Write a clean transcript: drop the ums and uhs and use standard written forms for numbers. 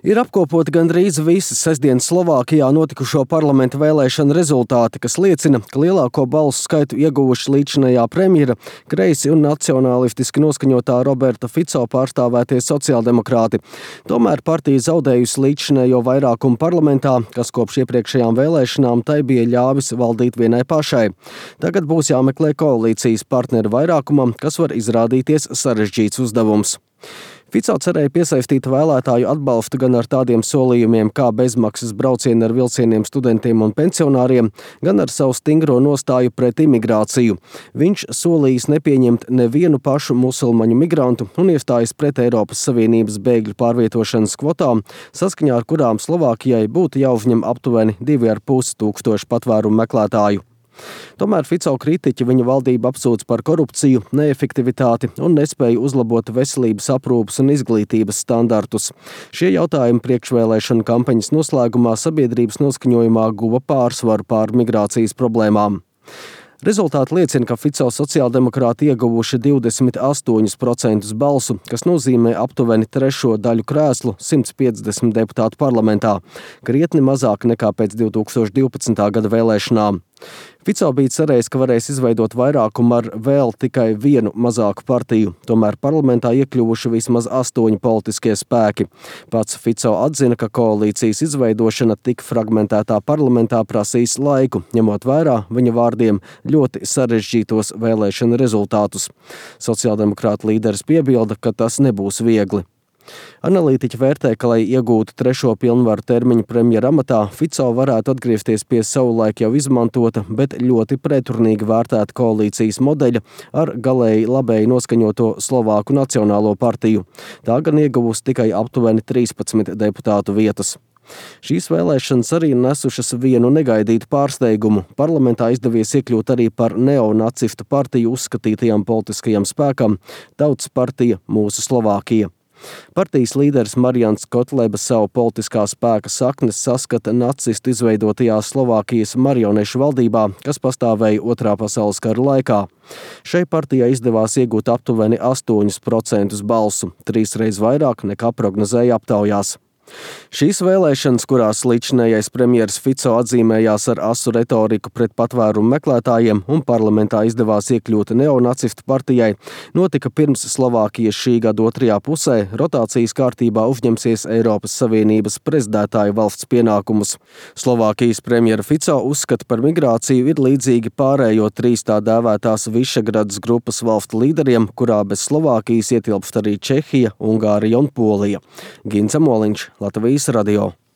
Ir apkopoti gandrīz visi sestdienas Slovākijā notikušo parlamenta vēlēšanu rezultāti, kas liecina, ka lielāko balsu skaitu ieguvuši līdzinējā premjera, kreisi un nacionālistiski noskaņotā Roberta Fico pārstāvētie sociāldemokrāti. Tomēr partija zaudējusi līdzinējo vairākumu parlamentā, kas kopš iepriekšējām vēlēšanām tai bija ļāvis valdīt vienai pašai. Tagad būs jāmeklē koalīcijas partneru vairākumam, kas var izrādīties sarežģīts uzdevums. Fico cerēja piesaistīt vēlētāju atbalstu gan ar tādiem solījumiem kā bezmaksas braucieni ar vilcieniem studentiem un pensionāriem, gan ar savu stingro nostāju pret imigrāciju. Viņš solījis nepieņemt nevienu pašu musulmaņu migrantu un iestājas pret Eiropas Savienības bēgļu pārvietošanas kvotām, saskaņā ar kurām Slovākijai būtu jāuzņem aptuveni 2,5 tūkstoši patvērumu meklētāju. Tomēr Fico kritiķi viņa valdību apsūdz par korupciju, neefektivitāti un nespēju uzlabot veselības aprūpes un izglītības standartus. Šie jautājumi priekšvēlēšanu kampaņas noslēgumā sabiedrības noskaņojumā guva pārsvaru pār migrācijas problēmām. Rezultāti liecina, ka Fico sociāldemokrāti ieguvuši 28% balsu, kas nozīmē aptuveni trešo daļu krēslu 150 deputātu parlamentā, krietni mazāk nekā pēc 2012. gada vēlēšanām. Fico bija cerējis, ka varēs izveidot vairākumu ar vēl tikai vienu mazāku partiju, tomēr parlamentā iekļuvuši vismaz 8 politiskie spēki. Pats Fico atzina, ka koalīcijas izveidošana tik fragmentētā parlamentā prasīs laiku, ņemot vērā viņa vārdiem ļoti sarežģītos vēlēšanu rezultātus. Sociāldemokrāta līderis piebilda, ka tas nebūs viegli. Analītiķi vērtē, ka, lai iegūtu trešo pilnvaru termiņu premjera amatā, Fico varētu atgriezties pie savulaik jau izmantota, bet ļoti pretrunīgi vērtēta koalīcijas modeļa ar galēji labēji noskaņoto Slovāku Nacionālo partiju. Tā gan ieguvusi tikai aptuveni 13 deputātu vietas. Šīs vēlēšanas arī nesušas vienu negaidītu pārsteigumu. Parlamentā izdevies iekļūt arī par neonacistu partiju uzskatītajam politiskajam spēkam Tautas partija Mūsu Slovākija. Partijas līderis Marians Kotleba savu politiskā spēka saknes saskata nacistu izveidotajā Slovākijas marionešu valdībā, kas pastāvēja Otrā pasaules kara laikā. Šai partijai izdevās iegūt aptuveni 8% balsu, 3 reizes vairāk nekā prognozēja aptaujās. Šīs vēlēšanas, kurās līdzinējais premjeras Fico atzīmējās ar asu retoriku pret patvērumu meklētājiem un parlamentā izdevās iekļūt neonacistu partijai, notika pirms Slovākijas šī gada otrajā pusē rotācijas kārtībā uzņemsies Eiropas Savienības prezidētāja valsts pienākumus. Slovākijas premjera Fico uzskata par migrāciju ir līdzīgi pārējo 3 tā dēvētās Višegradas grupas valstu līderiem, kurā bez Slovākijas ietilpst arī Čehija, Ungārija un Polija. Gints Amoliņš, Latvijas radio.